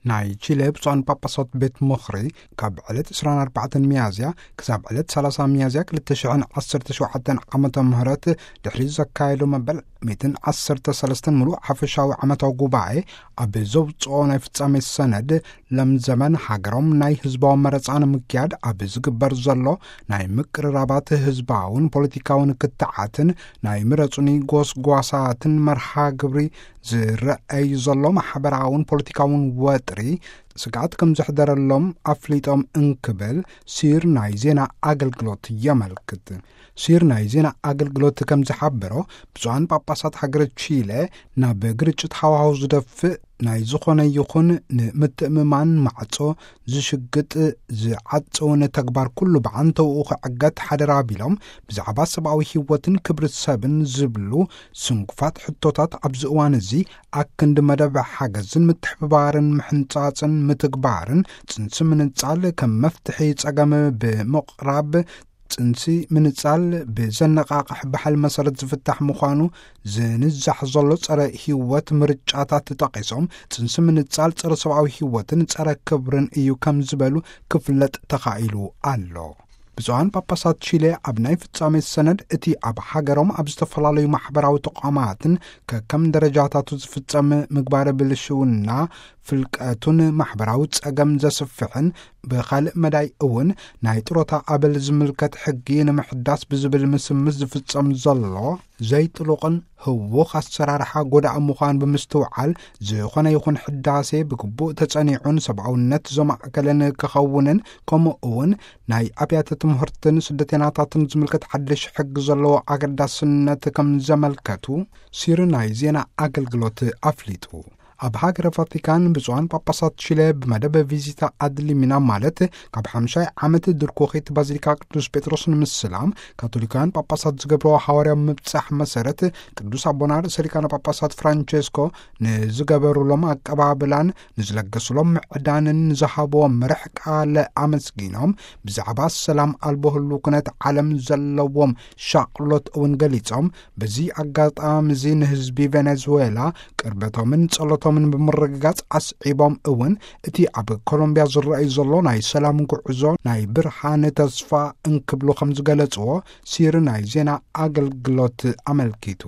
ናይ ቺለ ብፁዓን ጳጳሳት ቤት ምኽሪ ካብ ዕለት ዕስራን ኣርባዕተን ሚያዝያ ክሳብ ዕለት ሰላሳ ሚያዝያ ክልተ ሽሕን ዓሰርተ ሸውዓተን ዓመተ ምህረት ድሕሪ ዘካየዶ መበል ሚእትን ዓሰርተ ሰለስተን ምሉእ ሓፈሻዊ ዓመታዊ ጉባኤ ኣብ ዘውፅኦ ናይ ፍጻሜ ሰነድ፣ ለምዘመን ሃገሮም ናይ ህዝባዊ መረጻ ንምክያድ ኣብ ዝግበር ዘሎ ናይ ምቅርራባት ህዝባውን ፖለቲካውን ክትዓትን ናይ ምረጹኒ ጎስጓሳትን መርሃ ግብሪ ዝረአይ ዘሎ ማሕበራውን ፖለቲካውን ወጥሪ ስግኣት ከም ዘሕደረሎም ኣፍሊጦም እንክብል ሲር ናይ ዜና ኣገልግሎት የመልክት። ሲር ናይ ዜና ኣገልግሎት ከም ዝሓበሮ፣ ብፁዓን ጳጳሳት ሃገረ ቺለ ናብ ግርጭት ሃዋህው ዝደፍእ ናይ ዝኾነ ይኹን ንምትእምማን ማዕጾ ዝሽግጥ ዝዓጽውን ተግባር ኩሉ ብዓንተውኡ ክዕገት ሓደራ ቢሎም፣ ብዛዕባ ሰብኣዊ ህይወትን ክብሪ ሰብን ዝብሉ ስንኩፋት ሕቶታት ኣብዚ እዋን እዚ ኣክንዲ መደብ ሓገዝን ምትሕብባርን ምሕንጻጽን ምትግባርን ጽንሲ ምንጻል ከም መፍትሒ ጸገም ብምቕራብ፣ ጽንሲ ምንጻል ብዘነቓቕሕ ባህል መሰረት ዝፍታሕ ምዃኑ ዝንዛሕ ዘሎ ጸረ ህይወት ምርጫታት ጠቒሶም፣ ጽንሲ ምንጻል ጸረ ሰብኣዊ ህይወትን ጸረ ክብርን እዩ ከም ዝበሉ ክፍለጥ ተኻኢሉ ኣሎ። ብፁዓን ጳጳሳት ቺሌ ኣብ ናይ ፍጻሜ ሰነድ፣ እቲ ኣብ ሃገሮም ኣብ ዝተፈላለዩ ማሕበራዊ ተቋማትን ከከም ደረጃታቱ ዝፍጸም ምግባረ ብልሽውና ፍልቀቱን ማሕበራዊ ጸገም ዘስፍሕን፣ ብኻልእ መዳይ እውን ናይ ጥሮታ ኣበል ዝምልከት ሕጊ ንምሕዳስ ብዝብል ምስምስ ዝፍጸም ዘሎ ዘይጥሉቕን ህውኽ ኣሰራርሓ ጎዳኢ ምዃን ብምስትውዓል፣ ዝኾነ ይኹን ሕዳሴ ብግቡእ ተጸኒዑን ሰብኣውነት ዘማእከለን ክኸውንን፣ ከምኡ እውን ናይ ኣብያተ ትምህርትን ስደተይናታትን ዝምልከት ሓድሽ ሕጊ ዘለዎ ኣገዳስነት ከም ዘመልከቱ ሲሪ ናይ ዜና ኣገልግሎት ኣፍሊጡ። ኣብ ሃገረ ቫቲካን ብፁዓን ጳጳሳት ቺለ ብመደብ ቪዚታ ኣድሊሚና፣ ማለት ካብ ሓምሻይ ዓመት ድርኮኺት ባዚሊካ ቅዱስ ጴጥሮስ ንምስላም ካቶሊካውያን ጳጳሳት ዝገብርዎ ሃዋርያዊ ምብጻሕ መሰረት፣ ቅዱስ ኣቦና ርእሰ ሊቃነ ጳጳሳት ፍራንቸስኮ ንዝገበሩሎም ኣቀባብላን ንዝለገሱሎም ምዕዳንን ንዝሃብዎም መርሕ ቃል ኣመስጊኖም፣ ብዛዕባ ሰላም ኣልቦ ህሉ ኩነት ዓለም ዘለዎም ሻቕሎት እውን ገሊጾም፣ በዚ ኣጋጣሚ እዚ ንህዝቢ ቬኔዙዌላ ቅርበቶምን ጸሎቶምን ብምርግጋጽ ኣስዒቦም እውን፣ እቲ ኣብ ኮሎምቢያ ዝረኣይ ዘሎ ናይ ሰላም ጉዕዞ ናይ ብርሃን ተስፋ እንክብሉ ከም ዝገለጽዎ ሲሪ ናይ ዜና ኣገልግሎት ኣመልኪቱ።